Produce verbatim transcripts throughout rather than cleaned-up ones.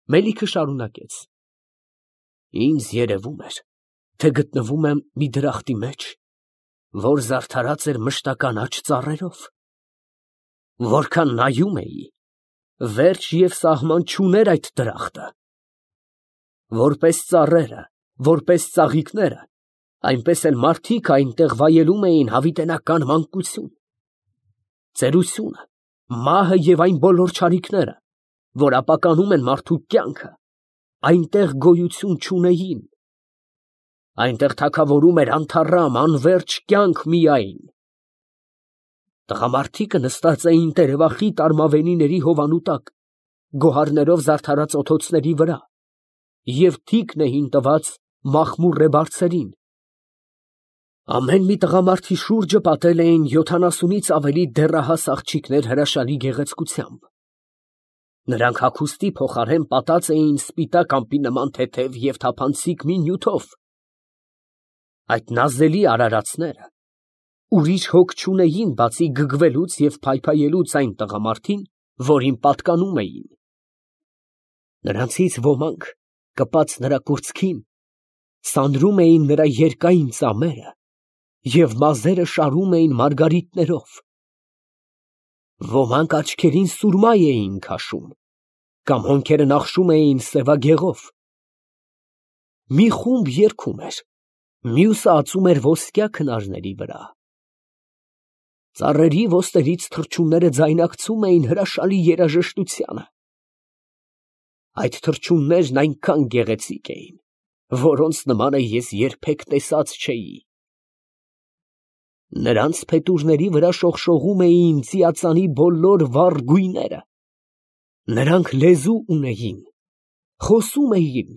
Մելիքը շարունակեց. Ինձ երևում էր, թե գտնվում եմ մի դրախտի մեջ, որ զարդարած էր մշտական աջ ծառերով. որքան նայում էի, վերջ և սահման չուներ այդ դրախտը. որպես ծառերը, որպես ծաղիկները, այնպես էլ մարդիկ այնտեղ վայելում էին հավիտենական մանկություն, ծերությունը, մահը և այն բոլոր չարիքները, որ ապականում են մարդու կյանքը, այնտեղ գոյություն չունեին. այնտեղ թագավորում էր անթառամ, անվերջ կյանք միայն. տղամարդիկը նստած էին տերևախիտ արմավենիների հովանու տակ, գոհարներով զարդարած օթոցների վրա, և թիկն էին տված մախմուռե բարձերին. ամեն մի տղամարդի շուրջը պատել էին յոթանասունից ավելի դեռահաս աղջիկներ հրաշալի գեղեցկությամբ. նրանք հագուստի փոխարեն պատած էին սպիտակ ամպի նման թեթև և թափանցիկ մի նյութով. այդ նազելի արարածները ուրիշ հոգ չունեին, բացի գգվելուց և փայփայելուց այն տղամարդին, որին պատկանում էին. նրանցից ոմանք, կպած նրա կուրծքին, սանրում էին նրա երկայն ծամերը և մազերը շարում էին մարգարիտներով. ոմանք աչքերին սուրմա էին քաշում, կամ հոնքերը նախշում էին սևագեղով. մի խումբ երգում էր, մյուսը ածում էր ոսկյա քնարների վրա. ծառերի ոսτερից թռչունները ձայնակցում էին հրաշալի երաժշտությանը. այդ թռչուններն այնքան գեղեցիկ էին, որոնց նմանը ես երբեք տեսած չէի. նրանց փետուրների վրա շողշողում էին ծիածանի բոլոր վառ գույները. նրանք լեզու ունեին, խոսում էին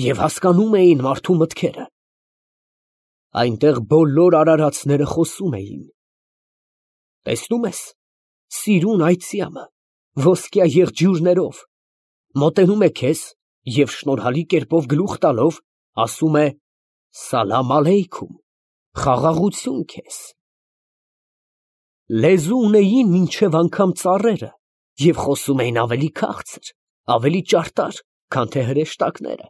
և հասկանում էին մարդու մտքերը. այնտեղ բոլոր արարածները խոսում էին. տեսնում ես, սիրուն այծյամը, ոսկյա եղջյուրներով, մոտենում է քեզ և շնորհալի կերպով գլուխ տալով, ասում է. «Սալամ ալեյքում, խաղաղություն քեզ»։ Լեզու ունեին մինչև անգամ ծառերը և խոսում էին ավելի քաղցր, ավելի ճարտար, քան թե հրեշտակները.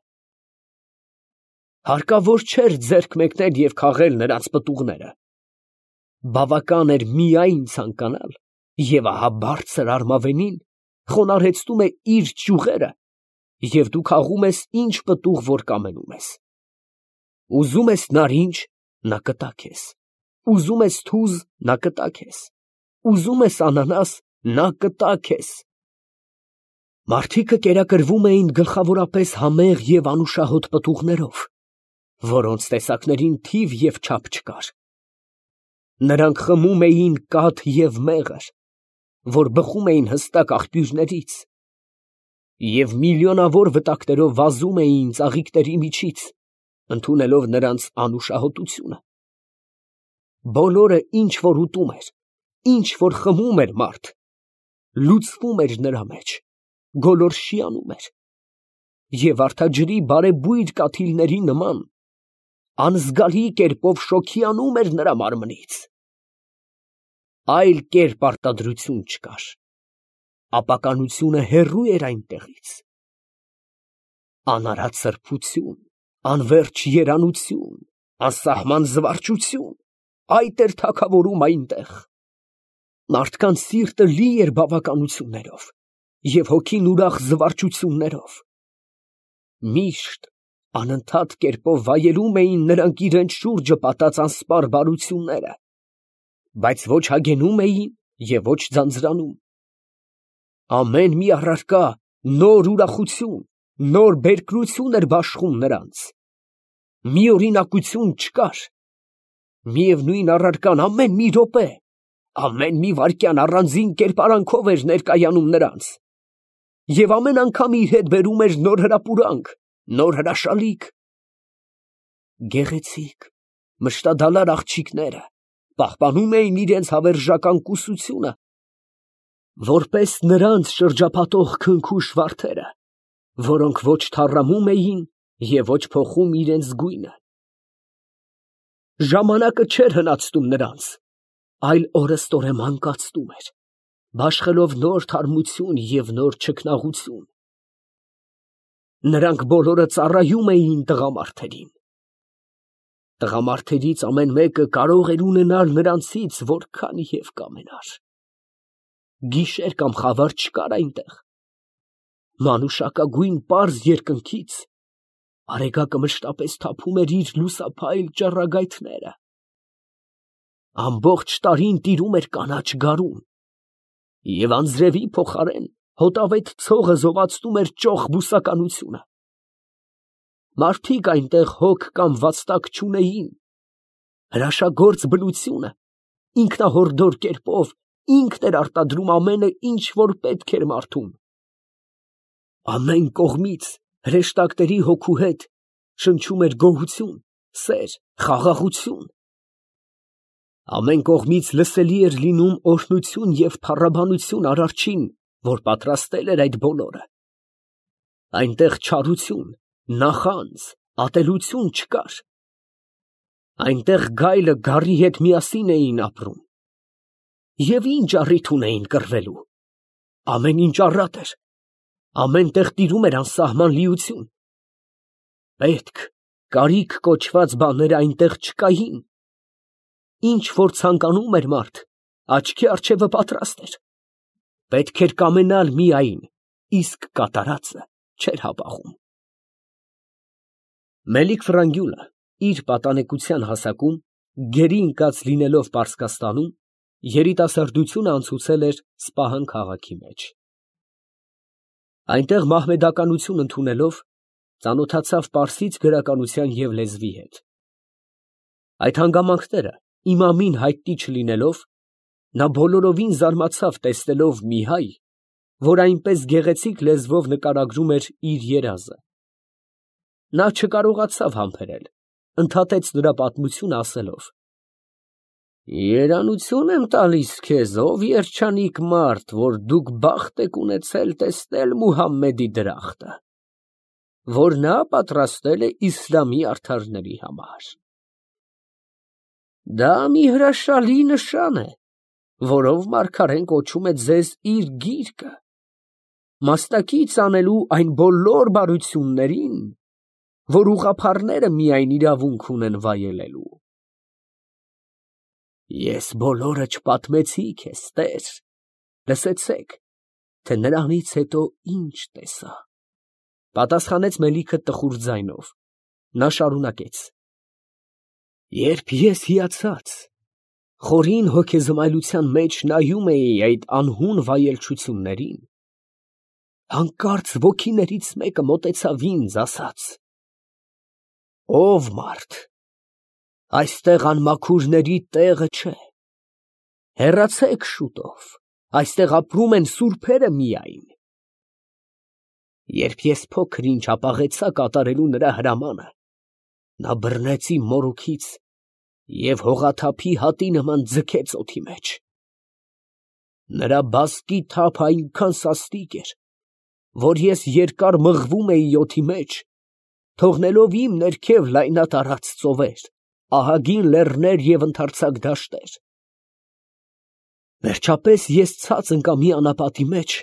հարկավոր չէր ձեռք մեկնել և քաղել նրանց պտուղները. բավական էր միայն ցանկանալ, և ահա բարձր արմավենին խոնարհեցնում է իր ճյուղերը, և դու քաղում ես ինչ պտուղ որ կամենում ես. ուզում ես նարինջ, նա կտա քեզ, ուզում ես թուզ, նա կտա քեզ, ուզում ես անանաս, նա կտա քեզ։ Մարդիկը կերակրվում էին գլխավորապես համեղ և անուշահոտ պտուղներով, որոնց տեսակներին թիվ և չափ չկար. նրանք խմում էին կաթ և մեղր, որ բխում էին հստակ աղբյուրներից, և միլիոնավոր վտակներով վազում էին ծաղիկների միջից, ընդունելով նրանց անուշահոտությունը. բոլորը, ինչ որ ուտում էր, ինչ որ խմում էր մարդ, լուծվում էր նրա մեջ, գոլորշիանում էր, և վարդաջրի բարեբույր կաթիլների նման անզգալի կերպով շոգյանում էր նրա մարմնից. այլ կերպ արտադրություն չկար, ապականությունը հեռու էր այնտեղից. անարատ սրբություն, անվերջ երանություն, անսահման զվարճություն, այդ էր թագավորում այնտեղ. մարդկանց սիրտը լի էր բավականություններով և հոգին ուրախ զվարճություններով. միշտ անընդհատ կերպով վայելում էին նրանք իրենց շուրջը պատած անսպառ բարությունները, բայց ոչ հագենում էին և ոչ ձանձրանում. ամեն մի առարկա նոր ուրախություն, նոր բերկրություն էր բաշխում նրանց. միօրինակություն չկար. միևնույն առարկան ամեն մի րոպե, ամեն մի վայրկյան առանձին կերպարանքով էր ներկայանում նրանց, և ամեն անգամ իր հետ բերում էր նոր հրապուրանք, նոր հրաշալիք. գեղեցիկ, մշտադալար աղջիկները պահպանում էին իրենց հավերժական կուսությունը, որպես նրանց շրջապատող քնքուշ վարդերը, որոնք ոչ թառամում էին և ոչ փոխում իրենց գույնը. ժամանակը չէր հնացնում նրանց, այլ օրըստօրե մանկացնում էր, բաշխելով նոր թարմություն և նոր չքնաղություն. Նրանք բոլորը ծառայում էին տղամարդերին։ Տղամարդերից ամեն մեկը կարող էր ունենալ նրանցից որքան և կամենար։ Գիշեր կամ խավար չկար այնտեղ։ Մանուշակագույն պարզ երկնքից արեգակը մշտապես թափում էր իր լուսափայլ ճառագայթները։ Ամբողջ տարին տիրում էր կանաչ գարուն, և անձրևի փոխարեն հոտավետ ցողը զովացնում էր ճոխ բուսականությունը։ Մարդիկ այնտեղ հոգ կամ վաստակ չունեին, հրաշագործ բնությունը ինքնահորդոր կերպով ինքն էր արտադրում ամենը, ինչ որ պետք էր մարդուն։ Ամեն կողմից հրեշտակների հոգու հետ շնչում էր գոհություն, սեր, խաղաղություն։ Ամեն կողմից լսելի էր լինում օրհնություն և փառաբանություն Արարչին, որ պատրաստել էր այդ բոլորը։ Այնտեղ չարություն, նախանձ, ատելություն չկար։ Այնտեղ գայլը գառի հետ միասին էին ապրում։ Եվ ինչ առիթ ունեին կռվելու։ Ամեն ինչ առատ էր։ Ամեն տեղ տիրում էր անսահման լիություն։ Պետք, կարիք կոչված բաները այնտեղ չկային։ Ինչ որ ցանկանում էր մարդ, աչքի առջևը պատրաստ էր։ Պետք էր կամենալ միայն, իսկ կատարածը չէր հապաղում։ Մելիք֊Ֆրանգյուլը իր պատանեկության հասակում, գերի ընկած լինելով Պարսկաստանում, երիտասարդությունը անցուցել էր Սպահան քաղաքի մեջ։ Այնտեղ մահմեդականություն ընդունելով, ծանոթացավ պարսից գրականության և լեզվի հետ։ Այդ հանգամանքները իմամին հայտնի չլինելով, նա բոլորովին զարմացավ տեսնելով մի հայ, որ այնպես գեղեցիկ լեզվով նկարագրում էր իր երազը։ Նա չկարողացավ համբերել, ընդհատեց նրա պատմությունը ասելով. «Երանություն եմ տալիս քեզ, ով երջանիկ մարդ, որ դուք բախտ եք ունեցել տեսնել Մուհամմեդի դրախտը, որ նա պատրաստել է իսլամի արդարների համար։ Դա մի հրաշալի նշան է, որով մարգարեն կոչում է ձեզ իր գիրկը, մասնակից անելու այն բոլոր բարություններին, որ ուղղափառները միայն իրավունք ունեն վայելելու։ Ես բոլորը չպատմեցի քեզ, տեր, լսեցեք, թե նրանից հետո ինչ տեսա, պատասխանեց Մելիքը տխուր ձայնով։ Նա շարունակեց. Երբ ես հիացած, խորին հոգեզմայլության մեջ նայում էի այդ անհուն վայելչություններին, հանկարծ ոգիներից մեկը մոտեցավ ինձ, ասաց. «Ով մարդ, այստեղ անմաքուրների տեղը չէ, հեռացեք շուտով, այստեղ ապրում են սուրբերը միայն»։ Երբ ես փոքր ինչ հապաղեցա կատարելու նրա հրամանը, նա բռնեց իմ մորուքից և հողաթափի հատի նման ձգեց օդի մեջ։ Նրա բազկի թափը այնքան սաստիկ էր, որ ես երկար մղվում էի օդի մեջ, թողնելով իմ ներքև լայնատարած ծովեր, ահագին լեռներ և ընդարձակ դաշտեր։ Վերջապես ես ցած ընկա մի անապատի մեջ,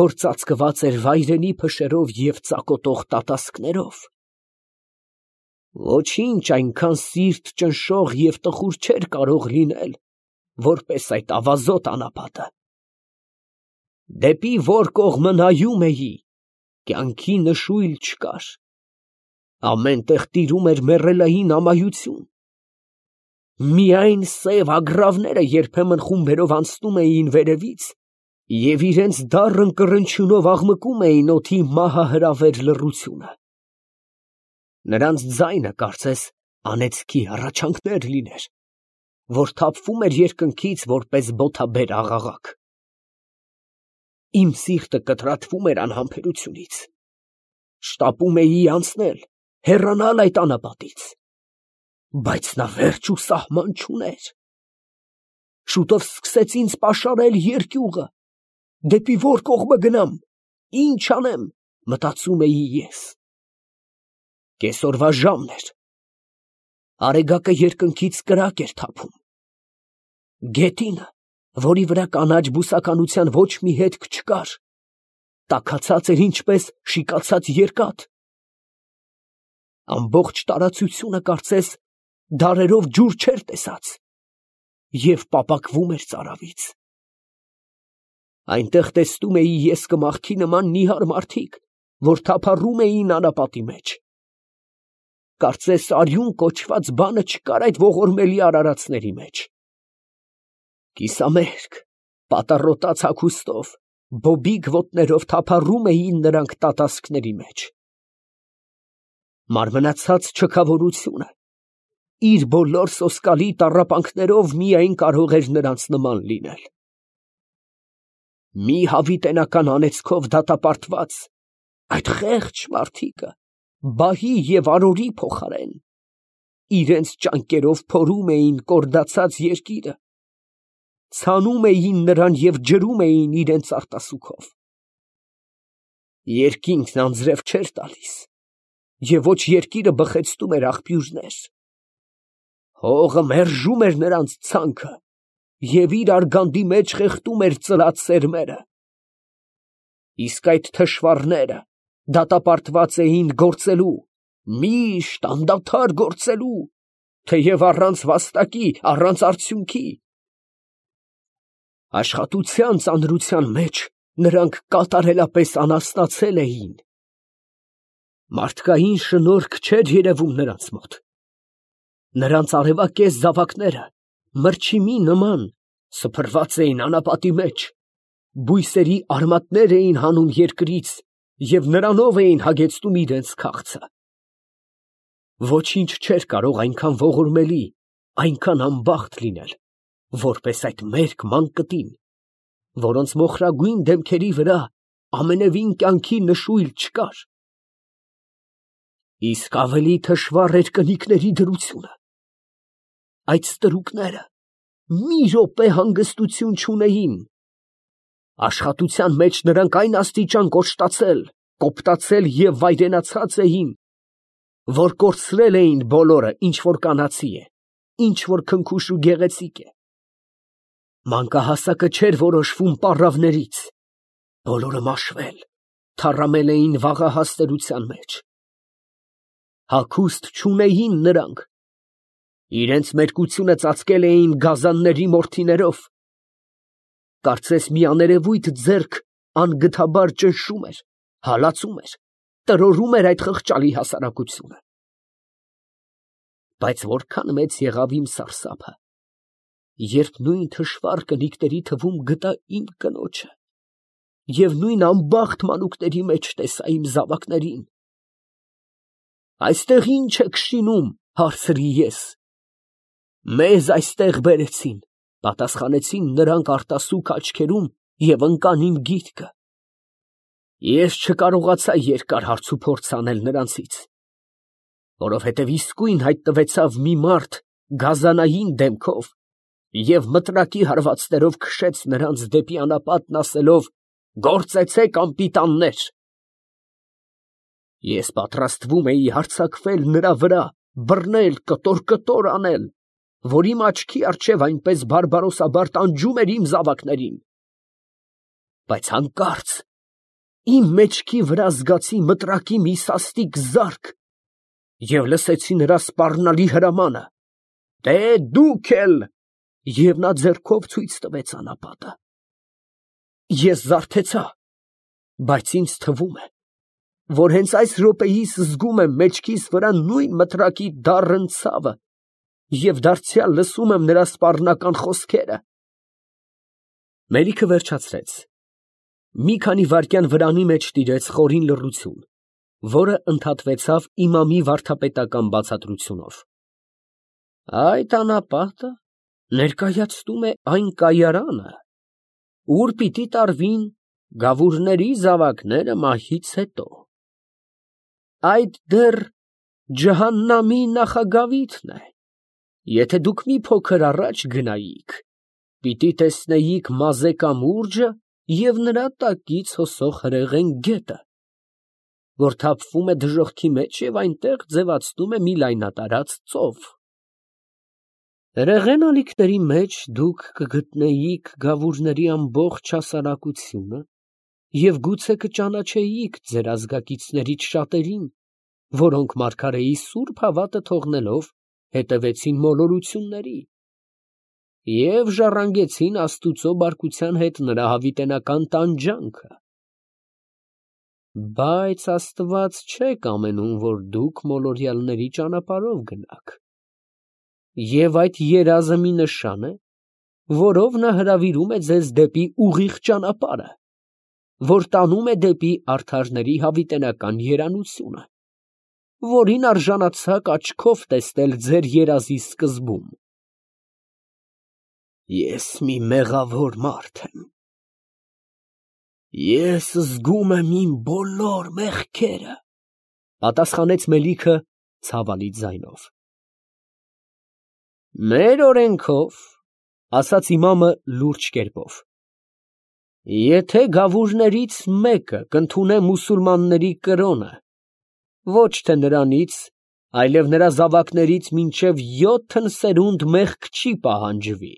որ ծածկված էր վայրենի փշերով և ծակոտող տատասկներով։ Ոչինչ այնքան սիրտ ճնշող և տխուր չէր կարող լինել, որպես այդ ավազոտ անապատը։ Դեպի որ կողմը նայում էի, կյանքի նշույլ չկար, ամեն տեղ տիրում էր մեռելային ամայություն։ Միայն սև ագռավները երբեմն խումբերով անցնում էին վերևից և իրենց դառն կռնչյունով աղմկում էին օդի մահահրավեր լռությունը։ Նրանց ձայնը կարծես անեծքի հառաչանքներ լիներ, որ թափվում էր երկնքից որպես բոթաբեր աղաղակ։ Իմ սիրտը կտրատվում էր անհամբերությունից։ Շտապում էի անցնել, հեռանալ այդ անապատից, բայց նա վերջ ու սահման չուներ։ Շուտով սկսեց ինձ պաշարել երկյուղը, դեպի որ կողմը գնամ, ինչ անեմ, մտածում էի ես։ Կեսօրվա ժամն էր, արեգակը երկնքից կրակ էր թափում։ Գետինը, որի վրա կանաչ բուսականության ոչ մի հետք չկար, տաքացած էր ինչպես շիկացած երկաթ, ամբողջ տարածությունը կարծես դարերով ջուր չէր տեսած և պապակվում էր ծարավից։ Այնտեղ տեսնում էի ես կմախքի նման նիհար մարդիկ, որ թափառում էին անապատի մեջ։ Կարծես արյուն կոչված բանը չկար այդ ողորմելի արարածների մեջ։ Կիսամերկ, պատառոտած հագուստով, բոբիկ ոտներով թափառում էին նրանք տատասկների մեջ։ Մարմնացած չքավորությունը իր բոլոր սոսկալի տառապանքներով միայն կարող էր նրանց նման լինել։ Մի հավիտենական անեծքով դատապարտված, այդ խեղճ մարդիկը բահի և արորի փոխարեն իրենց ճանկերով փորում էին կորդացած երկիրը, ցանում էին նրան և ջրում էին իրենց արտասուքով։ Երկինքն անձրև չէր տալիս, և ոչ երկիրը բխեցնում էր աղբյուրներ։ Հողը մերժում էր նրանց ցանքը և իր արգանդի մեջ խեղդում էր ծլած սերմերը։ Իսկ այդ թշվառները դատապարտված էին գործելու, միշտ անդադար գործելու, թեև առանց վաստակի, առանց արդյունքի։ Աշխատության ծանրության մեջ նրանք կատարելապես անհասնացել էին։ Մարդկային շնորհք չէր երևում նրանց մոտ։ Նրանց արևակեզ զավակները մրջիմի նման սփռված էին անապատի մեջ, բույսերի արմատներ էին հանում երկրից և նրանով էին հագեցնում իրենց քաղցը։ Ոչինչ չէր կարող այնքան ողորմելի, այնքան անբախտ լինել, որպես այդ մերկ մանկտին, որոնց մոխրագույն դեմքերի վրա ամենևին կյանքի նշույլ չկար։ Իսկ ավելի թշվառ էր կնիկների դրությունը։ Այդ ստրուկները մի րոպե հանգստություն չունեին։ Աշխատության մեջ նրանք այն աստիճան կոշտացել, կոպտացել և վայրենացած էին, որ կորցրել էին բոլորը, ինչ որ կանացի է, ինչ որ քնքուշ ու գեղեցիկ է։ Մանկահասակը չէր որոշվում պառավներից, բոլորը մաշվել, թառամել էին վաղահաս տերության մեջ։ Հագուստ չունեին նրանք, իրենց մերկությունը ծածկել էին գազանների մորթիներով, կարծես մի աներևույթ ձեռք անգթաբար ճնշում էր, հալածում էր, տրորում էր այդ խղճալի հասարակությունը։ Բայց որքան մեծ եղավ իմ սարսափը, երբ նույն թշվառ կնիկների թվում գտա իմ կնոջը և նույն անբախտ մանուկների մեջ տեսա իմ զավակներին։ «Այստեղ ի՞նչ եք շինում», հարցրի ես։ «Մեզ այստեղ բերեցին», պատասխանեցին նրանք արտասուք աչքերում և ընկան իմ գիրկը։ Ես չկարողացա երկար հարցուփորձ անել նրանցից, որովհետև իսկույն հայտնվեցավ մի մարդ գազանային դեմքով և մտրակի հարվածներով քշեց նրանց դեպի անապատն, ասելով. «Գործեցե՛ք, անպիտաններ»։ Ես պատրաստվում էի հարձակվել նրա վրա, բռնել, կտոր֊կտոր անել, որ իմ աչքի առջև այնպես բարբարոսաբար տանջում էր իմ զավակներին։ Բայց հանկարծ իմ մեջքի վրա զգացի մտրակի մի սաստիկ զարկ և լսեցի նրա սպառնալի հրամանը. «Դե դուք էլ», և նա ձեռքով ցույց տվեց անապատը։ Ես զարթեցա, բայց ինձ թվում է, որ հենց այս րոպեիս զգում եմ մեջքիս վրա նույն մտրակի դառն ցավը և դարձյալ լսում եմ նրա սպառնական խոսքերը։ Մելիքը վերջացրեց։ Մի քանի վայրկյան վրանի մեջ տիրեց խորին լռություն, որը ընդհատվեցավ իմամի վարդապետական բացատրությունով. «Այդ անապատը ներկայացնում է այն կայարանը, ուր պիտի տարվին գավուրների զավակները մահից հետո։ Այդ դեռ ջհաննամի նախագավիթն է։ Եթե դուք մի փոքր առաջ գնայիք, պիտի տեսնեիք Մազե կամուրջը և նրա տակից հոսող հրեղեն գետը, որ թափվում է դժոխքի մեջ և այնտեղ ձևացնում է մի լայնատարած ծով։ Հրեղեն ալիքների մեջ դուք կգտնեիք գավուրների ամբողջ հասարակությունը և գուցե կճանաչեիք ձեր ազգակիցներից շատերին, որոնք մարգարեի սուրբ հավատը թողնելով հետևեցին մոլորությունների և ժառանգեցին Աստուծո բարկության հետ նրա հավիտենական տանջանքը։ Բայց Աստված չէ կամենում, որ դուք մոլորյալների ճանապարհով գնաք, և այդ երազը մի նշան է, որով նա հրավիրում է ձեզ դեպի ուղիղ ճանապարհը, որ տանում է դեպի արդարների հավիտենական երանությունը, որին արժանացաք աչքով տեսնել ձեր երազի սկզբում։ Ես մի մեղավոր մարդ եմ, ես զգում եմ իմ բոլոր մեղքերը, պատասխանեց Մելիքը ցավալի ձայնով։ Մեր օրենքով, ասաց իմամը լուրջ կերպով, եթե գավուրներից մեկը կընդունե մուսուլմանների կրոնը, ոչ թե նրանից, այլև նրա զավակներից մինչև յոթն սերունդ մեղք չի պահանջվի,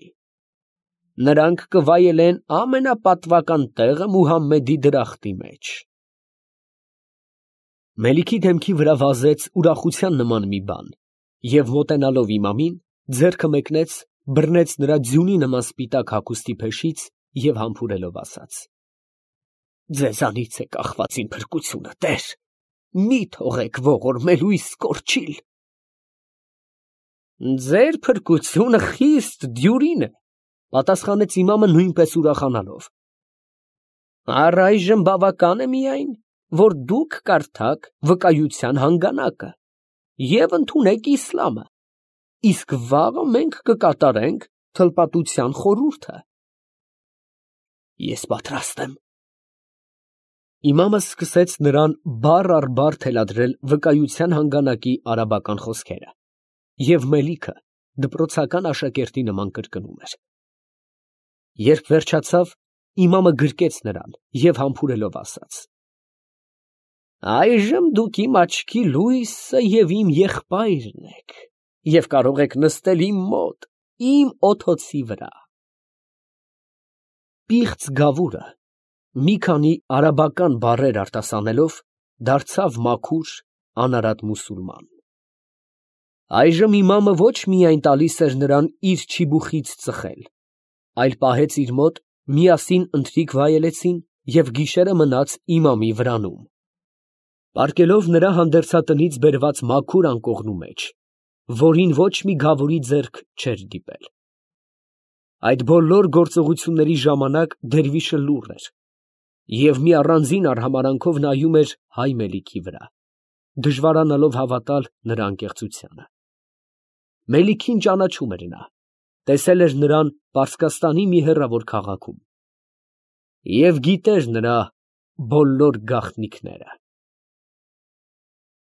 նրանք կվայելեն ամենապատվական տեղը Մուհամմեդի դրախտի մեջ։ Մելիքի դեմքի վրա վազեց ուրախության նման մի բան, և մոտենալով իմամին, ձեռքը մեկնեց, բռնեց նրա ձյունի նման սպիտակ հագուստի փեշից և համբուրելով ասաց. Ձեզանից է կախված իմ փրկությունը, տեր, մի թողեք ողորմելու իսկ կորչիլ։ Ձեր փրկությունը խիստ դյուրին է, պատասխանեց իմամը նույնպես ուրախանալով։ Առայժմ բավական է միայն, որ դուք կարդաք վկայության հանգանակը և ընդունեք իսլամը, իսկ վաղը մենք կկատարենք թլպատության խորհուրդը։ Ես պատրաստ եմ։ Իմամը սկսեց նրան բառ առ բառ թելադրել վկայության հանգանակի արաբական խոսքերը, և Մելիքը դպրոցական աշակերտի նման կրկնում էր։ Երբ վերջացավ, իմամը գրկեց նրան և համբուրելով ասաց. Այժմ դուք իմ աչքի լույսը և իմ եղբայրն եք, և կարող եք նստել իմ մոտ, իմ օթոցի վրա։ Պիղծ գավուրը, մի քանի արաբական բառեր արտասանելով, դարձավ մաքուր, անարատ մուսուլման։ Այժմ իմամը ոչ միայն տալիս էր նրան իր չիբուխից ծխել, այլ պահեց իր մոտ, միասին ընթրիք վայելեցին և գիշերը մնաց իմամի վրանում, պառկելով նրա հանդերձատնից բերված մաքուր անկողնու մեջ, որին ոչ մի գավուրի ձեռք չէր դիպել։ Այդ բոլոր գործողությունների ժամանակ դերվիշը լուռ էր և մի առանձին արհամարհանքով նայում էր հայ Մելիքի վրա, դժվարանալով հավատալ նրա անկեղծությանը։ Մելիքին ճանաչում էր նա, տեսել էր նրան Պարսկաստանի մի հեռավոր քաղաքում և գիտեր նրա բոլոր գաղտնիքները։